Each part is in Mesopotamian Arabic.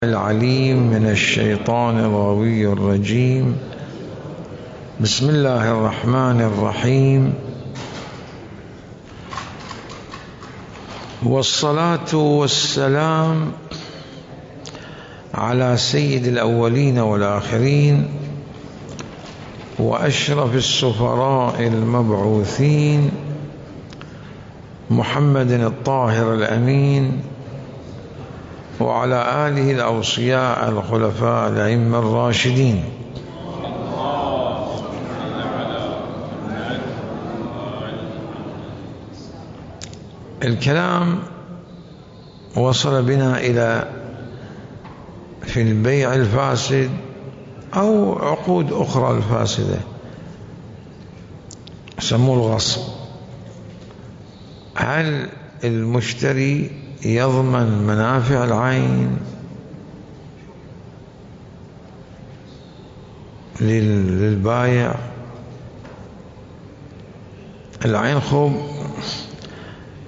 العليم من الشيطان الغوي الرجيم. بسم الله الرحمن الرحيم، والصلاة والسلام على سيد الأولين والآخرين وأشرف السفراء المبعوثين محمد الطاهر الأمين، وعلى آله الأوصياء الخلفاء الأئمة الراشدين. الكلام وصل بنا إلى في البيع الفاسد أو عقود أخرى الفاسدة، سموه الغصب. هل المشتري يضمن منافع العين للبايع؟ العين خب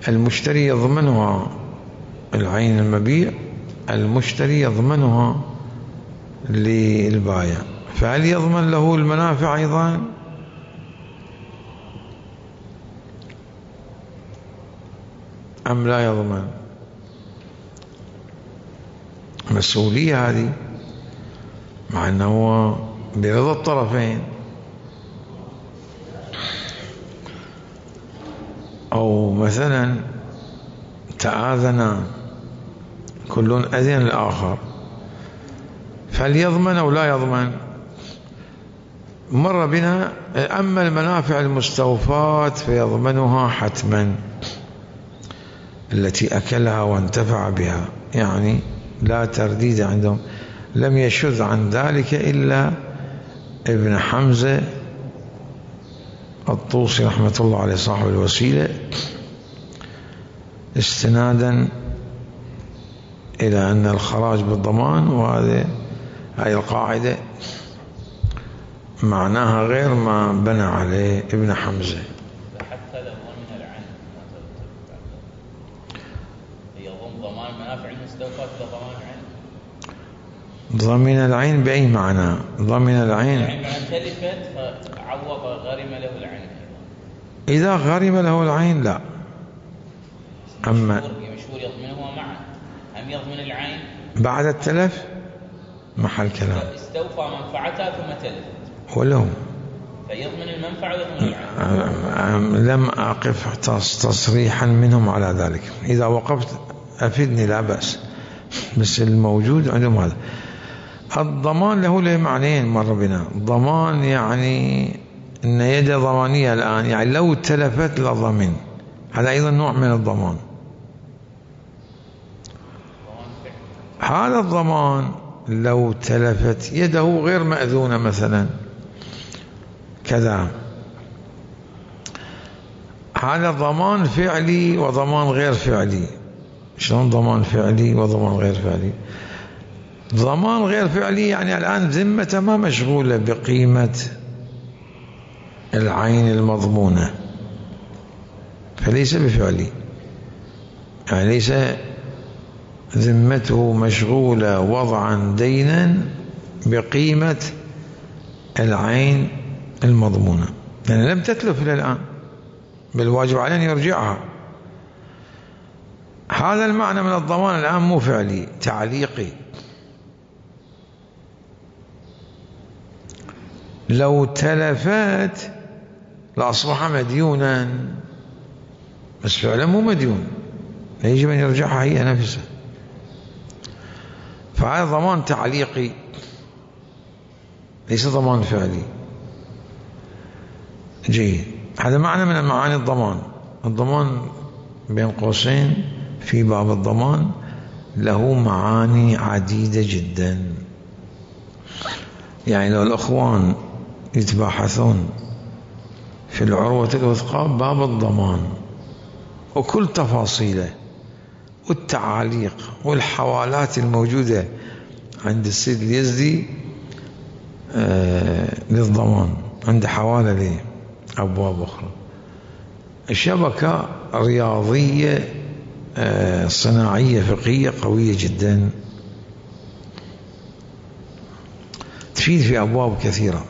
المشتري يضمنها، العين المبيع المشتري يضمنها للبايع، فهل يضمن له المنافع أيضا؟ أم لا يضمن؟ مسؤولية هذه، مع أنه برضا الطرفين، أو مثلا تآذنا كل أذن الآخر، فليضمن أو لا يضمن؟ مر بنا أما المنافع المستوفاة فيضمنها حتما، التي أكلها وانتفع بها، يعني لا ترديد عندهم. لم يشذ عن ذلك إلا ابن حمزة الطوسي رحمة الله عليه صاحب الوسيلة، استنادا إلى أن الخراج بالضمان، وهذه هاي القاعدة معناها غير ما بنى عليه ابن حمزة. حتى لو ضمن العين يضم ضمان منافع المستوفاة لضمان العين. ضمن العين بأي معنى؟ ضمن العين يعني معنى تلفت فعوض غرم له العين. إذا غرم له العين لا. أما مشهور يضمنه معا، أم يضمن العين بعد التلف؟ محل كلام. استوفى منفعتها ثم تلفت ولو فيضمن المنفعة ويضمن العين. لم أقف تصريحا منهم على ذلك، إذا وقفت أفيدني لا بأس، بس الموجود عندهم هذا. الضمان له معنيين مر بنا. ضمان يعني أن يد ضمانية الآن، يعني لو تلفت لضمن، هذا أيضا نوع من الضمان. هذا الضمان لو تلفت يده غير مأذونة مثلا كذا، هذا ضمان فعلي وضمان غير فعلي. شلون ضمان فعلي وضمان غير فعلي؟ ضمان غير فعلي يعني الآن ذمته ما مشغولة بقيمة العين المضمونة، فليس بفعلي، يعني ليس ذمته مشغولة وضعا دينا بقيمة العين المضمونة، يعني لم تتلف إلى الآن، بالواجب عليه أن يرجعها. هذا المعنى من الضمان الآن مو فعلي، تعليقي. لو تلفت لأصبح مديونا، بس فعلا مو مديون، يجب أن يرجعها هي نفسها، فهذا ضمان تعليقي ليس ضمان فعلي. جيد، هذا معنى من معاني الضمان. الضمان بين قوسين في باب الضمان له معاني عديدة جدا. يعني لو الأخوان يتباحثون في العروة الوثقى باب الضمان وكل تفاصيله والتعاليق والحوالات الموجودة عند السيد اليزدي للضمان، عند حوالة له أبواب أخرى. شبكة رياضية صناعية فقهية قوية جدا. تفيد في أبواب كثيرة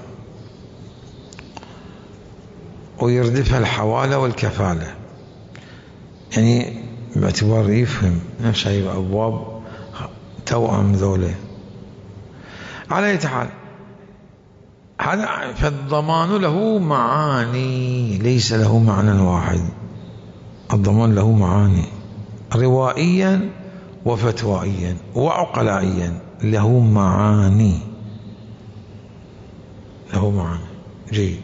ويردفها الحوالة والكفالة، يعني باعتبار يفهم نفس هاي أبواب توأم ذوله. على أي حال هذا فالضمان له معاني، ليس له معنى واحد. الضمان له معاني روائيا وفتوائيا وعقلائيا، له معاني، له معاني. جيد.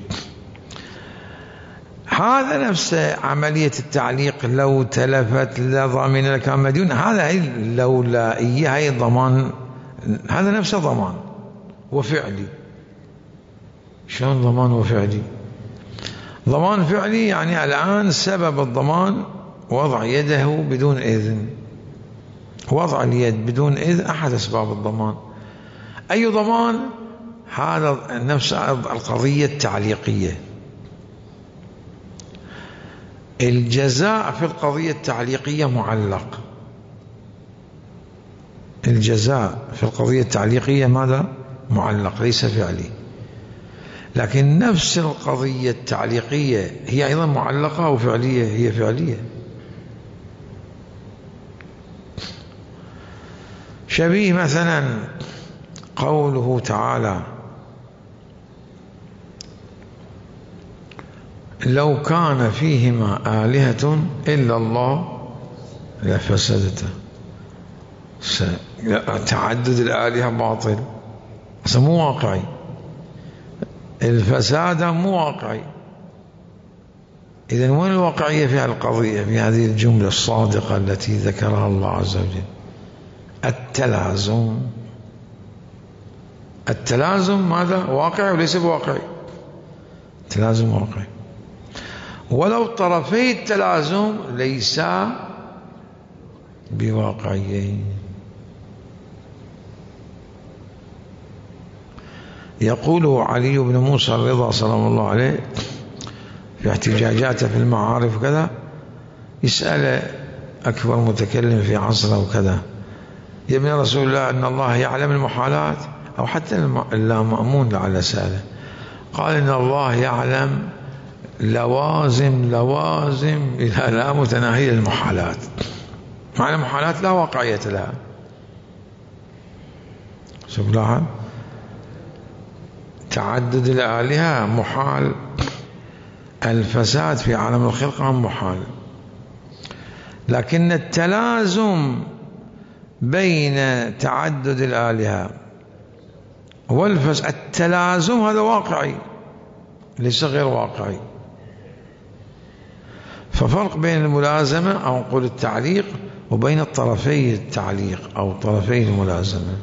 هذا نفس عملية التعليق، لو تلفت لضامن لكان مديون، هذا هي اللولائية، هي ضمان، هذا نفسه ضمان وفعلي. شلون ضمان وفعلي؟ ضمان فعلي يعني الآن سبب الضمان وضع يده بدون إذن، وضع اليد بدون إذن أحد أسباب الضمان. أي ضمان؟ هذا نفس القضية التعليقية. الجزاء في القضية التعليقية معلق، الجزاء في القضية التعليقية ماذا؟ معلق، ليس فعلي. لكن نفس القضية التعليقية هي أيضا معلقة وفعلية، هي فعلية. شبيه مثلا قوله تعالى: لو كان فيهما آلهة إلا الله لفسدتا. تعدد الآلهة باطل، مو واقعي، الفساد مو واقعي. إذن وين الواقعية في القضية، في هذه الجملة الصادقة التي ذكرها الله عز وجل؟ التلازم. التلازم ماذا؟ واقعي وليس بواقعي، التلازم واقعي، ولو طرفي التلازم ليسا بواقعيين. يقول علي بن موسى الرضا سلام الله عليه في احتجاجاته في المعارف وكذا، يسأل أكبر متكلم في عصره وكذا: يا ابن رسول الله، أن الله يعلم المحالات، أو حتى اللامأمون لعل سأله، قال: إن الله يعلم لوازم إلى لا متناهية المحالات. معنى المحالات لا واقعية لها. شوف لاحظ، تعدد الآلهة محال، الفساد في عالم الخلقة محال، لكن التلازم بين تعدد الآلهة والفساد، التلازم هذا واقعي ليس غير واقعي. ففرق بين الملازمة أو نقول التعليق وبين طرفي التعليق أو طرفي الملازمة.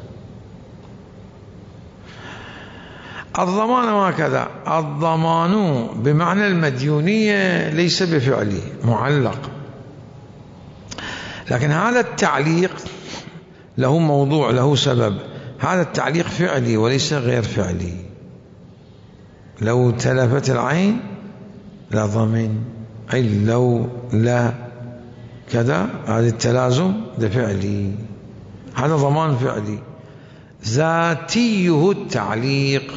الضمان هكذا، الضمان بمعنى المديونية ليس بفعلي، معلق، لكن هذا التعليق له موضوع، له سبب. هذا التعليق فعلي وليس غير فعلي. لو تلفت العين لا ضمن، أي لو لا كذا، هذا التلازم ده فعلي، هذا ضمان فعلي. ذاتيه التعليق،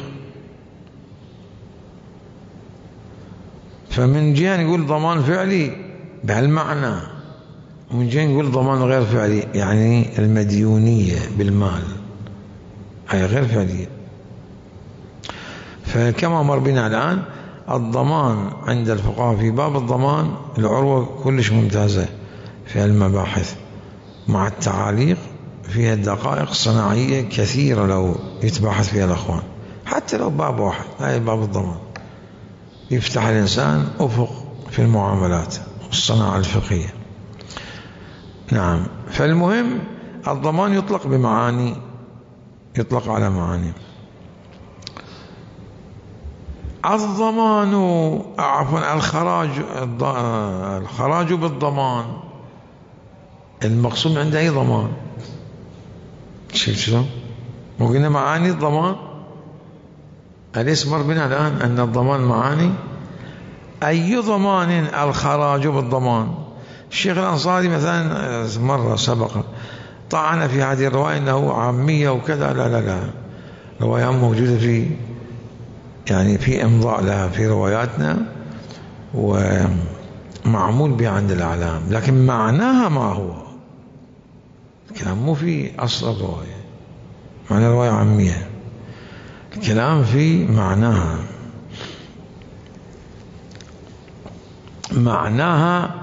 فمن جهة نقول ضمان فعلي بهالمعنى، ومن جهة نقول ضمان غير فعلي، يعني المديونية بالمال هي غير فعلية. فكما مر بنا الآن، الضمان عند الفقهاء في باب الضمان العروة كلش ممتازة في المباحث، مع التعاليق فيها دقائق صناعية كثيرة لو يتباحث فيها الأخوان، حتى لو باب واحد، هاي باب الضمان يفتح الإنسان أفق في المعاملات والصناعة الفقهية. نعم. فالمهم الضمان يطلق بمعاني، يطلق على معاني. الضمان، عفوا الخراج بالضمان، المقصود عنده أي ضمان؟ شوف شلون؟ وقلنا معاني الضمان، أليس مر بنا الآن أن الضمان معاني؟ أي ضمان الخراج بالضمان؟ الشيخ الأنصاري مثلا مرة سبق طعن في هذه الرواية أنه عامية وكذا، لا لا لا، روايات موجودة في يعني في إمضاء لها في رواياتنا ومعمول بها عند الأعلام، لكن معناها ما هو الكلام مو في أصل الرواية، معنى رواية عامية، الكلام في معناها. معناها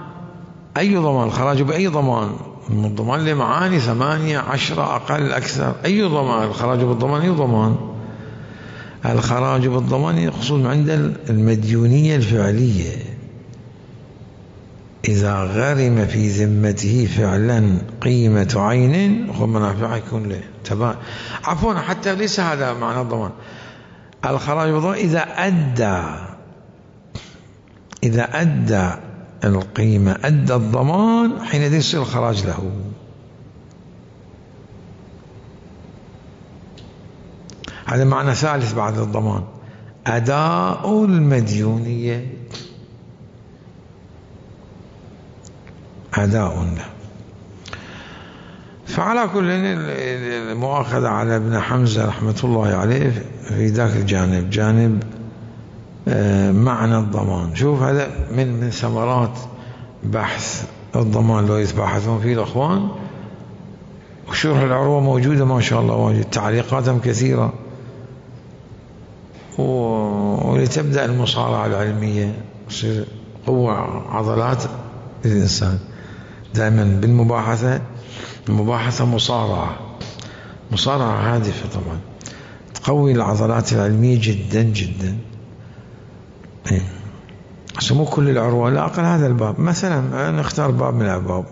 أي ضمان، الخراج بأي ضمان، من الضمان لمعاني 8 10 أقل أكثر، أي ضمان، الخراج بالضمان أي ضمان. الخراج بالضمان يقصد عند المديونية الفعلية، إذا غرم في ذمته فعلا قيمة عين ومنافع يكون له تبع. عفوا حتى ليس هذا معنى الضمان. الخراج بالضمان إذا أدى القيمة، أدى الضمان، حينئذ يصير الخراج له. هذا معنى ثالث بعد الضمان، أداء المديونية، أداء له. فعلى كل المؤاخذة على ابن حمزة رحمة الله عليه في ذاك الجانب، جانب معنى الضمان. شوف هذا من ثمرات بحث الضمان لو يتباحثون فيه الأخوان، وشرح العروة موجودة ما شاء الله واجد، تعليقاتهم كثيرة، ولتبدأ المصارعة العلمية، تصير قوة عضلات للإنسان. دائما بالمباحثة، المباحثة مصارعة هادفة طبعا، تقوي العضلات العلمية جدا جدا. مو كل العروة، لا أقل هذا الباب مثلا، نختار باب من الأبواب.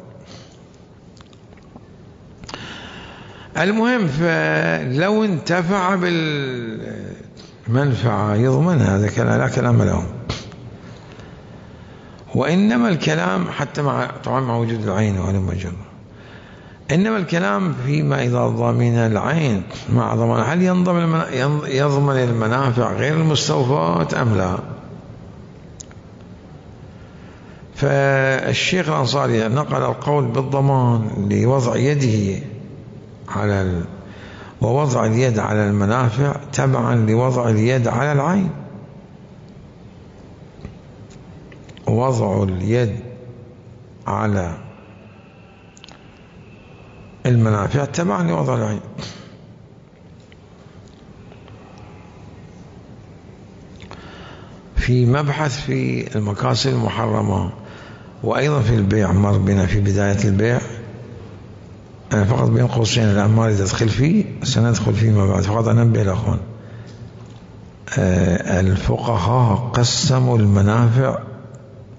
المهم فلو انتفع بالمنفعة يضمن هذا كلام، لا كلام لهم. وإنما الكلام حتى طبعا مع وجود العين وعلى مجرد، إنما الكلام فيما إذا ضمن العين مع ضمان، هل يضمن المنافع غير المستوفات أم لا؟ فالشيخ الأنصاري نقل القول بالضمان لوضع يده على ووضع اليد على المنافع تبعا لوضع اليد على العين. وضع اليد على المنافع تبعا لوضع العين. في مبحث في المكاسب المحرمة، وأيضا في البيع مر بنا في بداية البيع. أنا فقط بين قوسين الآن ما أريد أدخل فيه، سندخل فيما بعد، فقط أنبه الأخوان. الفقهاء قسموا المنافع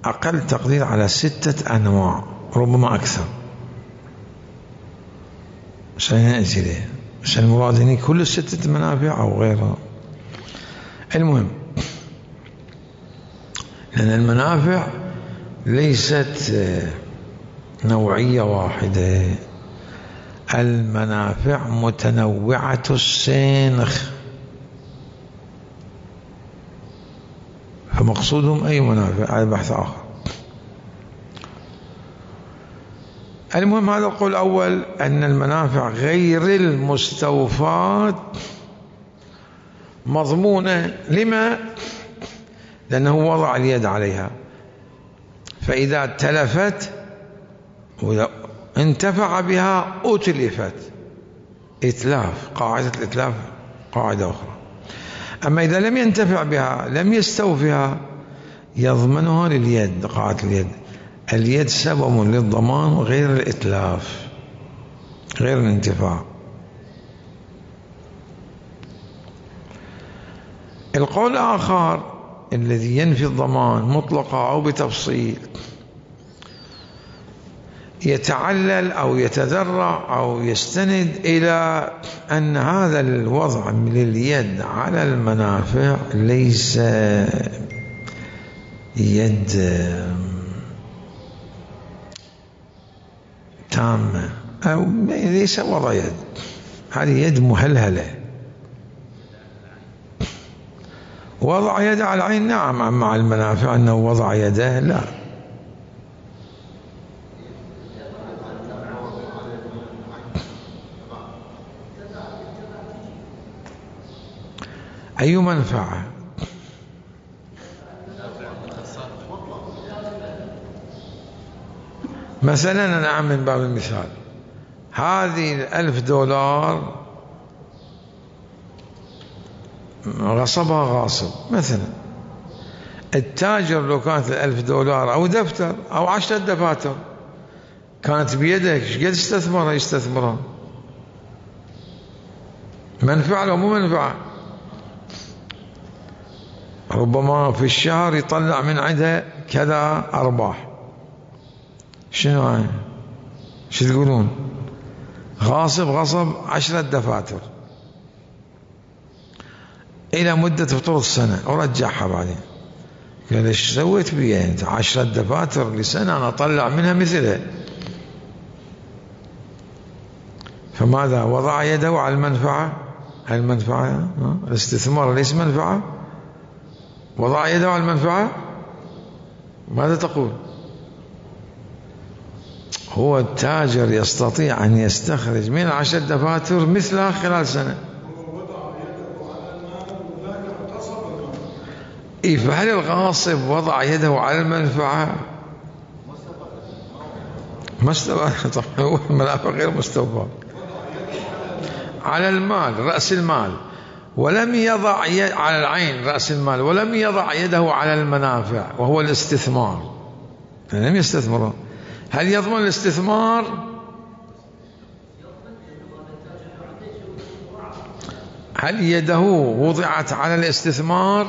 أقل تقدير على 6 أنواع، ربما أكثر، سنأتي له، بس المراد هنا كل 6 منافع أو غيرها. المهم لأن المنافع ليست نوعية واحدة، المنافع متنوعة السنخ، فمقصودهم أي منافع، هذا بحث آخر. المهم هذا القول الأول، أن المنافع غير المستوفات مضمونة. لما؟ لأنه وضع اليد عليها، فإذا تلفت انتفع بها أتلفت، إتلاف، قاعدة الإتلاف قاعدة أخرى. أما إذا لم ينتفع بها، لم يستوفها، يضمنها لليد، قاعدة اليد. اليد سبب للضمان غير الإتلاف، غير الانتفاع. القول الآخر الذي ينفي الضمان مطلقا أو بتفصيل، يتعلل أو يتذرع أو يستند إلى أن هذا الوضع من اليد على المنافع ليس يد تامة، أو ليس وضع يد، هذه يد مهلهلة. وضع يد على العين نعم، مع المنافع أنه وضع يده لا. أي منفعة؟ مثلا أنا أعمل من باب المثال هذه $1000 غصبها غاصب مثلا. التاجر لو كانت $1000 أو دفتر أو 10 دفاتر كانت بيدك، ايش قد يستثمرها؟ منفعة لو مو منفعة؟ ربما في الشهر يطلع من عندها كذا أرباح. شنو هاي؟ شو تقولون؟ غصب 10 دفاتر إلى مدة فطور السنة ورجعها بعدين. قال ايش سويت بيها انت؟ 10 دفاتر لسنة أنا أطلع منها مثلها. فماذا؟ وضع يده على المنفعة. المنفعة الاستثمار ليس منفعة؟ وضع يده على المنفعة. ماذا تقول؟ هو التاجر يستطيع أن يستخرج من 10 دفاتر مثلها خلال سنة. فهل الغاصب وضع يده على المنفعة؟ ما استوى. طبعا هو المنافع غير مستوفى. على المال، رأس المال، ولم يضع على العين رأس المال، ولم يضع يده على المنافع وهو الاستثمار. لم يستثمره. هل يضمن الاستثمار؟ هل يده وضعت على الاستثمار؟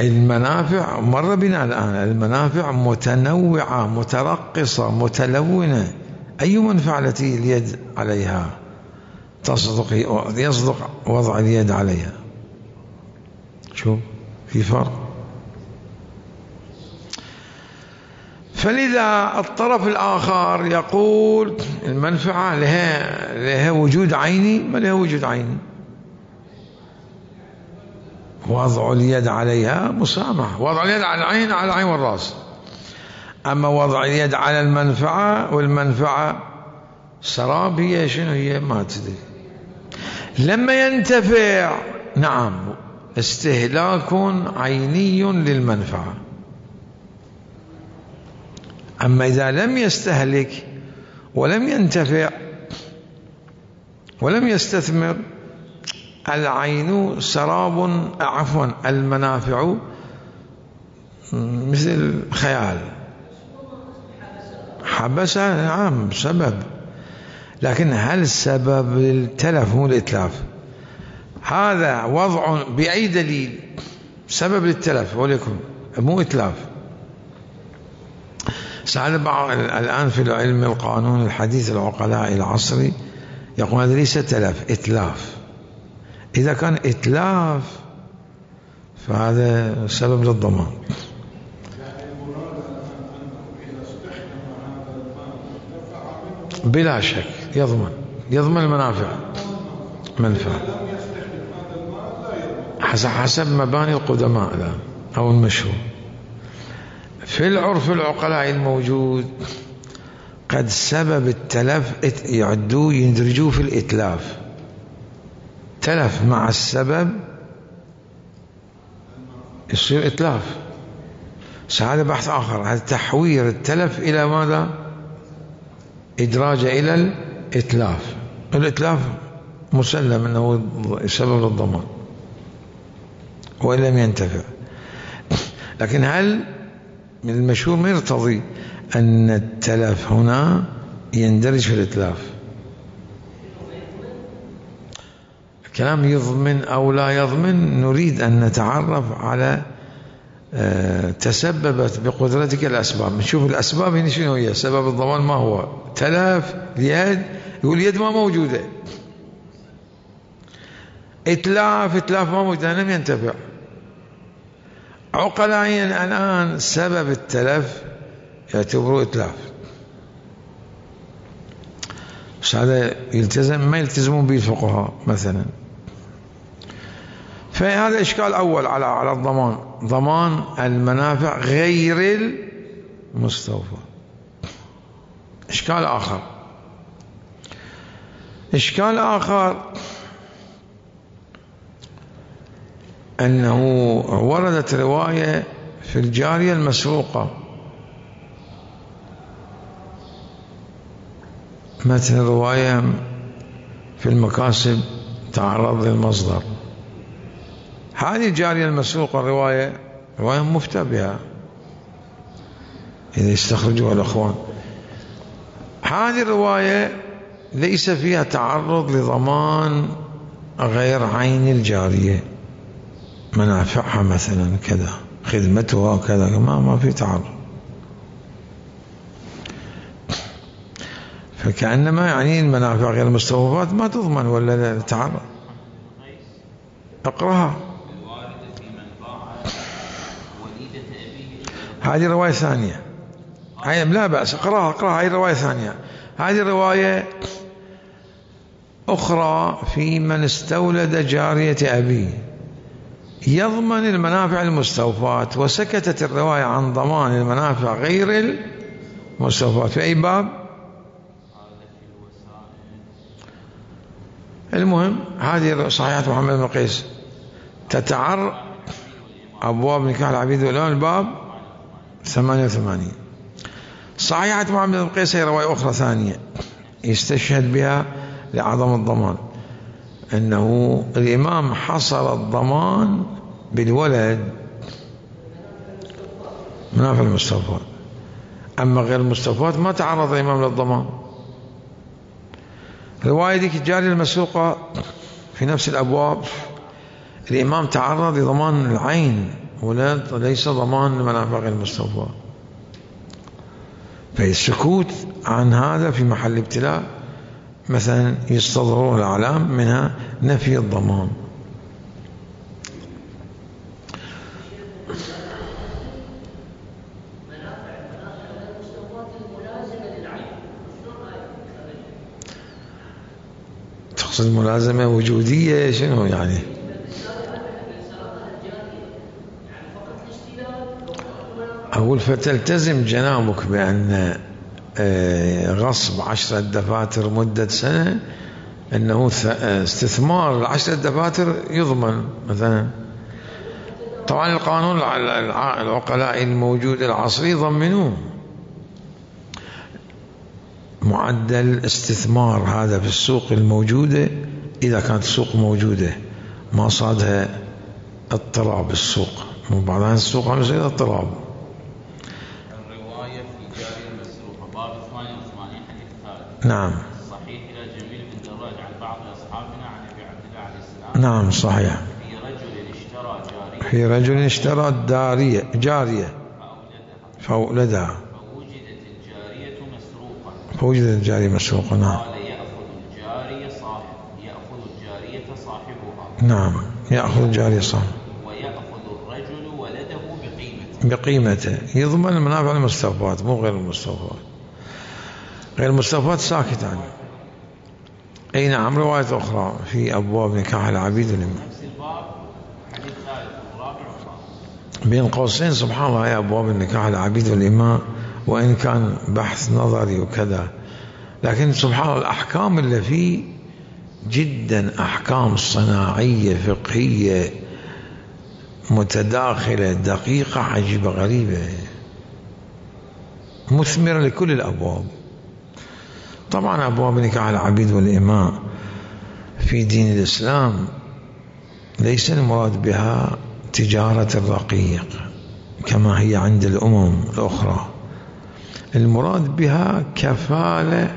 المنافع مر بنا الآن، المنافع متنوعة مترقصة متلونة. أي منفعة التي اليد عليها يصدق وضع اليد عليها؟ شوف في فرق. فلذا الطرف الآخر يقول المنفعة لها وجود عيني، ما لها وجود عيني. وضع اليد عليها مسامح، وضع اليد على العين على العين والرأس. أما وضع اليد على المنفعة، والمنفعة سراب هي شنو هي ما تدري. لما ينتفع نعم استهلاك عيني للمنفعة. أما إذا لم يستهلك ولم ينتفع ولم يستثمر، العين سراب، عفوا المنافع مثل خيال. حبسها نعم سبب، لكن هل سبب التلف مو الإتلاف؟ هذا وضع بأي دليل سبب للتلف ولكن مو إتلاف. سأل بعض الآن في العلم القانون الحديث العقلاء العصري يقول هذا ليس تلف، إتلاف. إذا كان إتلاف فهذا سبب للضمان. بلا شك يضمن المنافع. منفعة حسب مباني القدماء الآن أو المشهور. في العرف العقلاء الموجود قد سبب التلف يندرجوه في الإتلاف. تلف مع السبب يصير إتلاف. هذا بحث آخر، هذا تحوير التلف إلى ماذا؟ إدراج إلى الإتلاف. الإتلاف مسلم أنه سبب للضمان وإن لم ينتفع. لكن هل من المشهور ما يرتضي أن التلف هنا يندرج في الإتلاف؟ الكلام يضمن أو لا يضمن، نريد أن نتعرف على تسببت بقدرتك الأسباب. نشوف الأسباب هنا شنو هي. سبب الضمان ما هو؟ تلف اليد، يقول اليد ما موجودة. إتلاف ما موجودة، لم ينتفع. عقلائيا الآن سبب التلف يعتبروه إتلاف. بس هذا ما يلتزمون به الفقهاء مثلا. فهذا إشكال أول على الضمان، ضمان المنافع غير المستوفى. إشكال آخر، إشكال آخر أنه وردت رواية في الجارية المسروقة، مثل رواية في المكاسب تعرض للمصدر. هذه الجارية المسروقة رواية مفتى بها إذا يستخرجوها الأخوان. هذه الرواية ليس فيها تعرض لضمان غير عين الجارية، منافعها مثلا كذا، خدمتها كذا، ما في تعرض. فكأنما يعني المنافع غير المستوفات ما تضمن ولا تعرض. اقرأها. هذه رواية ثانية، هاي لا بأس، اقرأها، هاي رواية ثانية. هذه رواية أخرى في من استولد جارية أبيه يضمن المنافع المستوفات، وسكتت الرواية عن ضمان المنافع غير المستوفات. في أي باب؟ المهم هذه صحيحة محمد بن قيس أبواب نكاح العبيد والإماء، الباب 88. صحيحة محمد بن قيس هي رواية أخرى ثانية يستشهد بها لعظم الضمان، أنه الإمام حصر الضمان بالولد منافع المستوفات، أما غير المستوفات ما تعرض الإمام للضمان. رواية ذيك الجارية المسروقة في نفس الأبواب الإمام تعرض لضمان العين وليس ضمان منافع غير المستوفات، فالسكوت عن هذا في محل ابتلاء. مثلا يستظهرون الأعلام منها نفي الضمان. تقصد ملازمة وجودية شنو يعني؟ أقول فتلتزم جنابك بأن غصب 10 دفاتر مدة سنة أنه استثمار 10 دفاتر يضمن مثلا. طبعا القانون العقلاء الموجود العصري يضمنوه معدل استثمار هذا في السوق الموجودة، إذا كانت السوق موجودة ما صادها اضطراب السوق، وبعض السوق عم يصير اضطراب. الرواية في جارية المسروقة باب 88 حديث ثالث. نعم. صحيح إلى جميل بن دراج عن بعض أصحابنا عن أبي عبد الله عليه السلام. نعم صحيح. في رجل اشترى جارية فأولدها فوجدت الجارية مسروقة. نعم. قال يأخذ الجارية صاحبها. نعم يأخذ الجارية صاحبها. ويأخذ الرجل ولده بقيمته. يضمن المنافع المستوفات مو غير المستوفات. غير المستوفات ساكت عنه. أي نعم. رواية أخرى في أبواب نكاح العبيد والإماء نفس الباب حديث ثالث والرابع بين قوسين. سبحان الله يا أبواب النكاح العبيد والإماء، وإن كان بحث نظري وكذا، لكن سبحان الله الأحكام اللي فيه جدا أحكام صناعية فقهية متداخلة دقيقة عجيبة غريبة مثمرة لكل الأبواب. طبعا أبواب نكاح العبيد والإماء في دين الإسلام ليس المراد بها تجارة الرقيق كما هي عند الأمم الأخرى، المراد بها كفالة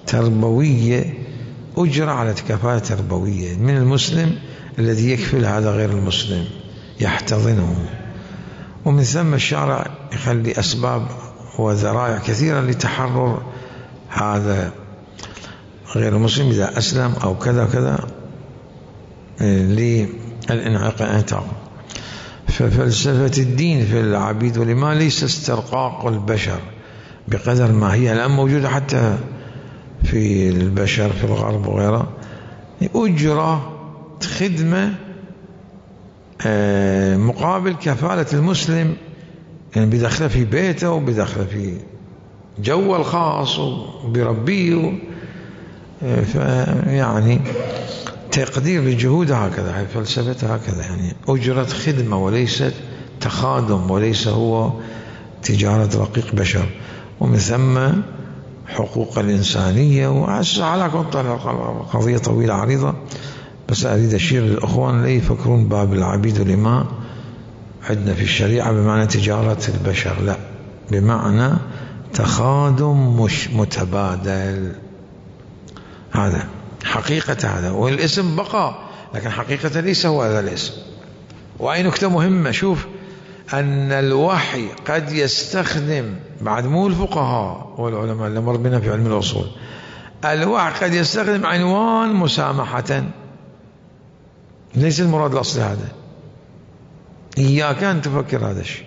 تربوية، أجرة على كفالة تربوية من المسلم الذي يكفل هذا غير المسلم يحتضنه. ومن ثم الشارع يخلي أسباب وذرائع كثيرة لتحرر هذا غير المسلم إذا أسلم أو كذا كذا للانعتاق. ففلسفة الدين في العبيد والإماء ليس استرقاق البشر بقدر ما هي الآن موجودة حتى في البشر في الغرب وغيره، أجرة خدمة مقابل كفالة المسلم، يعني بدخله في بيته وبدخله في جوه الخاص وبربيه يعني تقدير للجهود هكذا، هي فلسفتها هكذا، يعني أجرة خدمة وليست تخادم، وليس هو تجارة رقيق بشر. ومن ثم حقوق الإنسانية، وعلى قضية طويلة عريضة، بس أريد أشير للأخوان لا يفكرون باب العبيد والإماء عندنا في الشريعة بمعنى تجارة البشر، لا، بمعنى تخادم مش متبادل. هذا حقيقة هذا، والاسم بقى لكن حقيقة ليس هو هذا الاسم. وأي نكتة مهمة، شوف أن الوحي قد يستخدم، بعد مو الفقهاء والعلماء اللي مر بنا في علم الأصول، الوحي قد يستخدم عنوان مسامحة، ليس المراد الأصلي هذا. إياك أن تفكر هذا الشيء،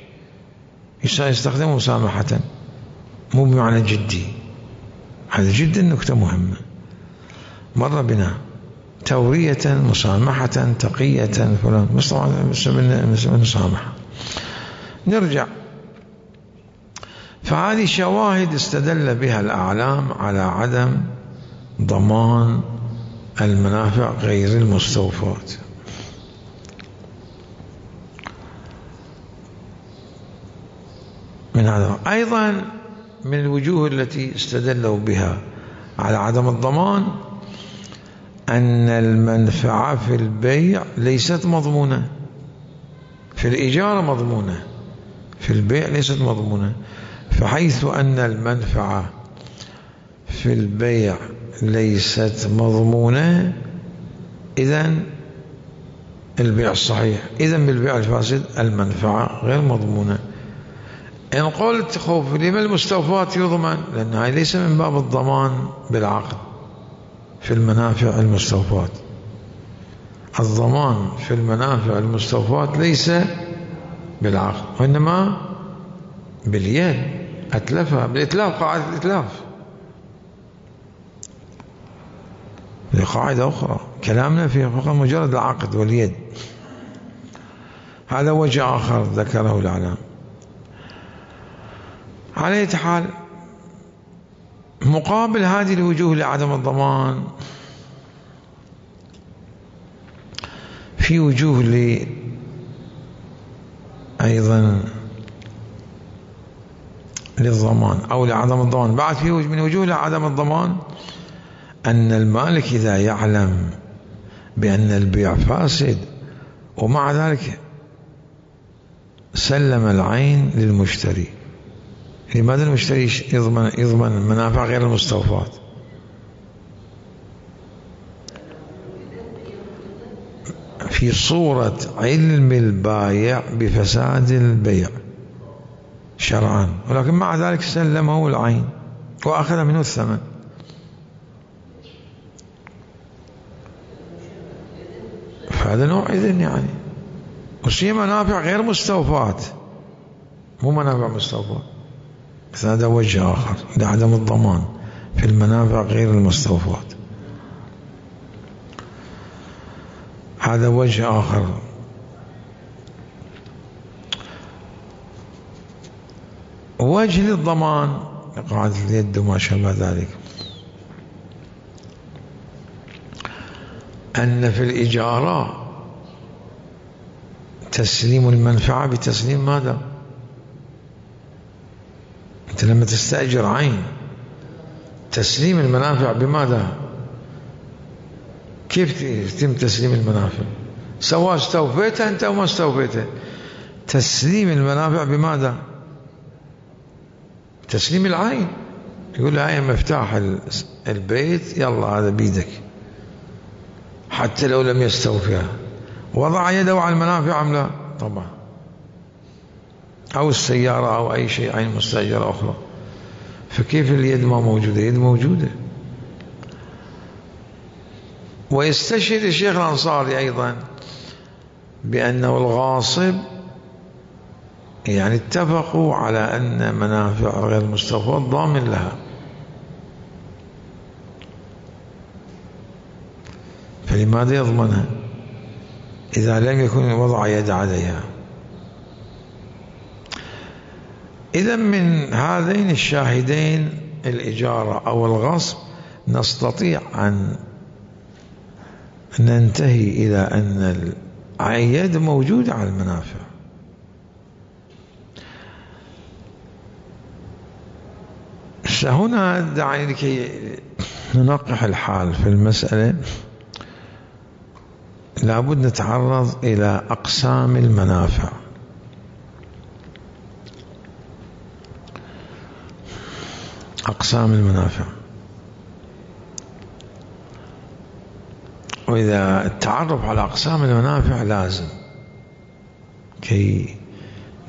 يستخدم مسامحة مو بمعنى جدي. هذا جدا نكتة مهمة مر بنا، تورية، مسامحة، تقية، فلان، بس طبعا مسامحة. نرجع، فهذه شواهد استدل بها الأعلام على عدم ضمان المنافع غير المستوفاة. من هذا أيضا من الوجوه التي استدلوا بها على عدم الضمان أن المنفعة في البيع ليست مضمونة، في الإجارة مضمونة، في البيع ليست مضمونة. فحيث أن المنفعة في البيع ليست مضمونة، إذن البيع الصحيح، إذن بالبيع الفاسد المنفعة غير مضمونة. إن قلت خوف لما المستوفات يضمن، لأن هذا ليس من باب الضمان بالعقد في المنافع المستوفات. الضمان في المنافع المستوفات ليس بالعقد، وإنما باليد، أتلفها بالإتلاف، قاعدة الإتلاف، هذه قاعدة أخرى كلامنا فيها فقط مجرد العقد واليد. هذا وجه آخر ذكره الإعلام. على أي حال، مقابل هذه الوجوه لعدم الضمان في وجوه أيضا للضمان أو لعدم الضمان. بعد في من وجوه لعدم الضمان أن المالك إذا يعلم بأن البيع فاسد ومع ذلك سلم العين للمشتري، لماذا المشتري يضمن المنافع غير المستوفات؟ في صورة علم البايع بفساد البيع شرعا، ولكن مع ذلك سلمه العين وأخذ منه الثمن. فهذا نوع إذن يعني، وشي منافع غير مستوفات، مو منافع مستوفات. هذا وجه آخر لعدم الضمان في المنافع غير المستوفات. هذا وجه آخر. وجه للضمان قاعدة اليد وما شابه ذلك، أن في الإجارة تسليم المنفعة بتسليم ماذا؟ أنت لما تستأجر عين تسليم المنافع بماذا؟ كيف يتم تسليم المنافع؟ سواء استوفيتها أنت أو ما استوفيتها، تسليم المنافع بماذا؟ تسليم العين. يقول لها هاي مفتاح البيت، يلا هذا بيدك، حتى لو لم يستوفيها. وضع يده على المنافع أم لا؟ طبعا. أو السيارة أو أي شيء عين مستأجرة أخرى. فكيف اليد ما موجودة؟ يد موجودة. ويستشهد الشيخ الأنصاري أيضا بأنه الغاصب يعني اتفقوا على أن منافع غير مستوفاة ضامن لها، فلماذا يضمنها إذا لم يكن وضع يد عليها؟ إذا من هذين الشاهدين الإجارة أو الغصب نستطيع أن ننتهي إلى أن اليد موجودة على المنافع. هنا دعني لكي ننقح الحال في المسألة لابد نتعرض إلى أقسام المنافع. أقسام المنافع، وإذا التعرف على أقسام المنافع لازم كي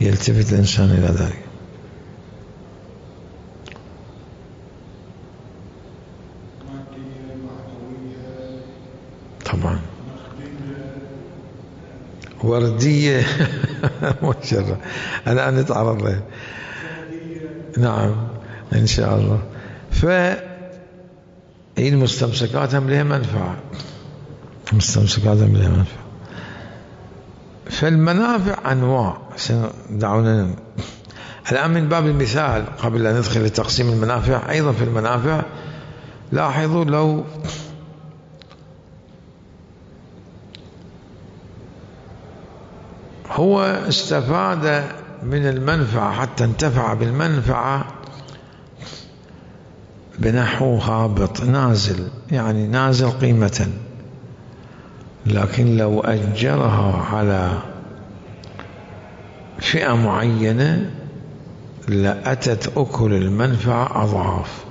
يلتفت الإنسان إلى ذلك. طبعا وردية مشرة الآن نتعرض لها. نعم إن شاء الله. المستمسكات هم لها منفعة، المستمسكات هم لها منفعة. فالمنافع أنواع. دعونا الآن من باب المثال قبل أن ندخل لتقسيم المنافع. أيضا في المنافع لاحظوا لو هو استفاد من المنفعة حتى انتفع بالمنفعة بنحو هابط نازل، يعني نازل قيمة، لكن لو أجرها على فئة معينة لأتت أكل المنفعة أضعاف.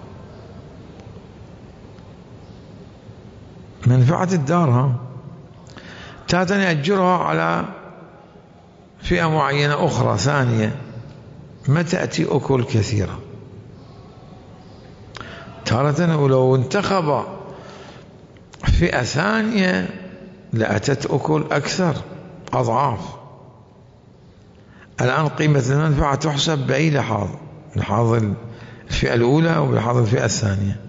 منفعة الدار تاتني أجرها على فئة معينة أخرى ثانية ما تأتي أكل كثيرة تارة، ولو انتخب فئة ثانية لأتت أكل أكثر أضعاف. الآن قيمة المنفعة تحسب بأي لحاظ؟ لحاظ الفئة الأولى أو لحاظ الفئة الثانية؟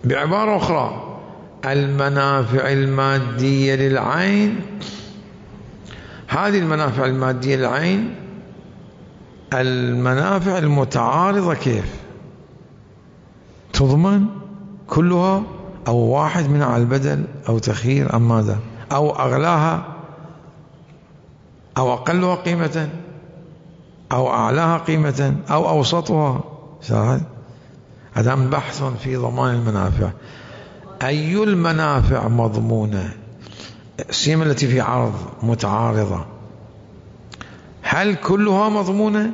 بعبارة أخرى المنافع المادية للعين، هذه المنافع المادية للعين المنافع المتعارضة كيف تضمن كلها أو واحد منها على البدل أو تخيير أم ماذا، أو أغلاها أو أقلها قيمة أو أعلاها قيمة أو أوسطها. هذا بحث في ضمان المنافع. أي المنافع مضمونة؟ السيما التي في عرض متعارضة، هل كلها مضمونة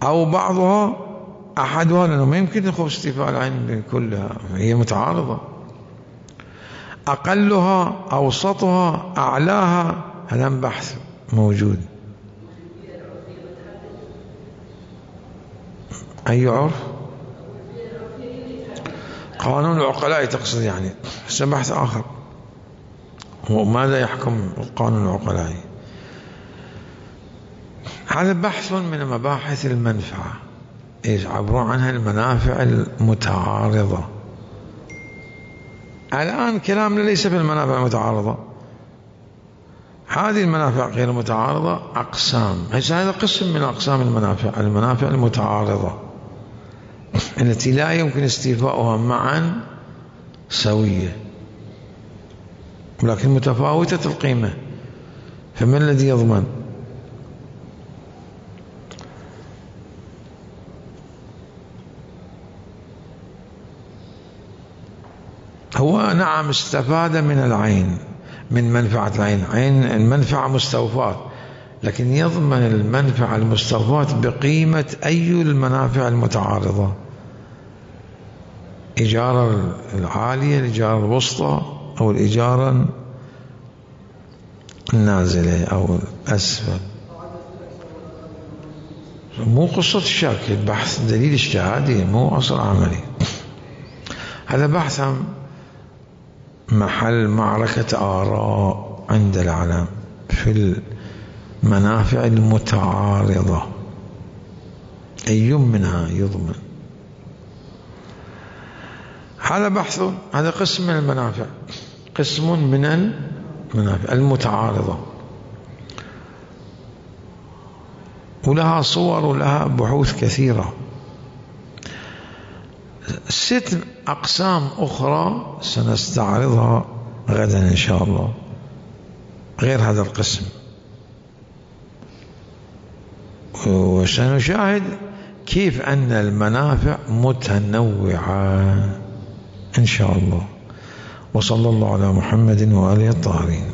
أو بعضها أحدها؟ لأنه ما يمكن يخف استيفاء العين كلها، هي متعارضة. أقلها أوسطها أعلاها، هذا بحث موجود. أي عرف؟ قانون العقلاء تقصد يعني؟ بحث آخر. وماذا يحكم القانون العقلائي؟ هذا بحث من مباحث المنفعة، يعبرون عنها المنافع المتعارضة. الآن كلامنا ليس في المنافع المتعارضة، هذه المنافع غير المتعارضة أقسام. هذا قسم من أقسام المنافع، المنافع المتعارضة التي لا يمكن استيفاؤها معا سوية ولكن متفاوتة القيمة. فما الذي يضمن؟ هو نعم استفاد من العين، من منفعة العين، عين المنفعة مستوفاة، لكن يضمن المنفعة المستوفاة بقيمة أي المنافع المتعارضة؟ إجارة العالية، الإجارة الوسطى، أو الإجارة النازلة أو الأسفل؟ مو قصة الشك، البحث دليل اجتهادي مو أصل عملي. هذا بحث محل معركة آراء عند العلم في المنافع المتعارضة، أي منها يضمن؟ هذا بحث، هذا قسم من المنافع، قسم من المنافع المتعارضة. ولها صور ولها بحوث كثيرة. 6 أقسام أخرى سنستعرضها غدا إن شاء الله غير هذا القسم، وسنشاهد كيف أن المنافع متنوعة إن شاء الله. وصلى الله على محمد وآله الطاهرين.